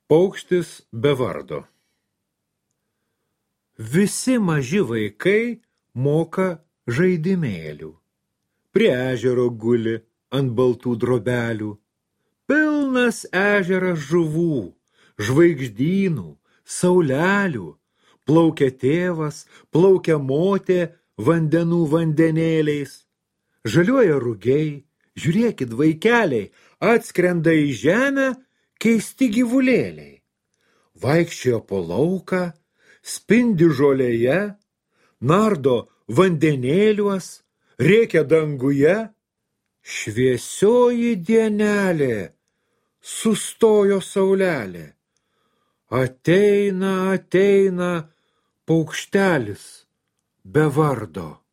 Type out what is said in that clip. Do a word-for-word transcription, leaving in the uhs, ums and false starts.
Paukštis be vardo. Visi maži vaikai moka žaidimėlių. Prie ežero guli ant baltų drobelių. Pilnas ežeras žuvų, žvaigždynų, saulelių. Plaukia tėvas, plaukia motė vandenų vandenėliais. Žaliuoja rugiai, žiūrėkit vaikeliai, atskrenda į žemę keisti gyvulėliai. Vaikščiojo po lauką, spindi žolėje, nardo vandenėliuos, rėkia danguje. Šviesioji dienelė, sustojo saulelė. Ateina, ateina paukštelis be vardo.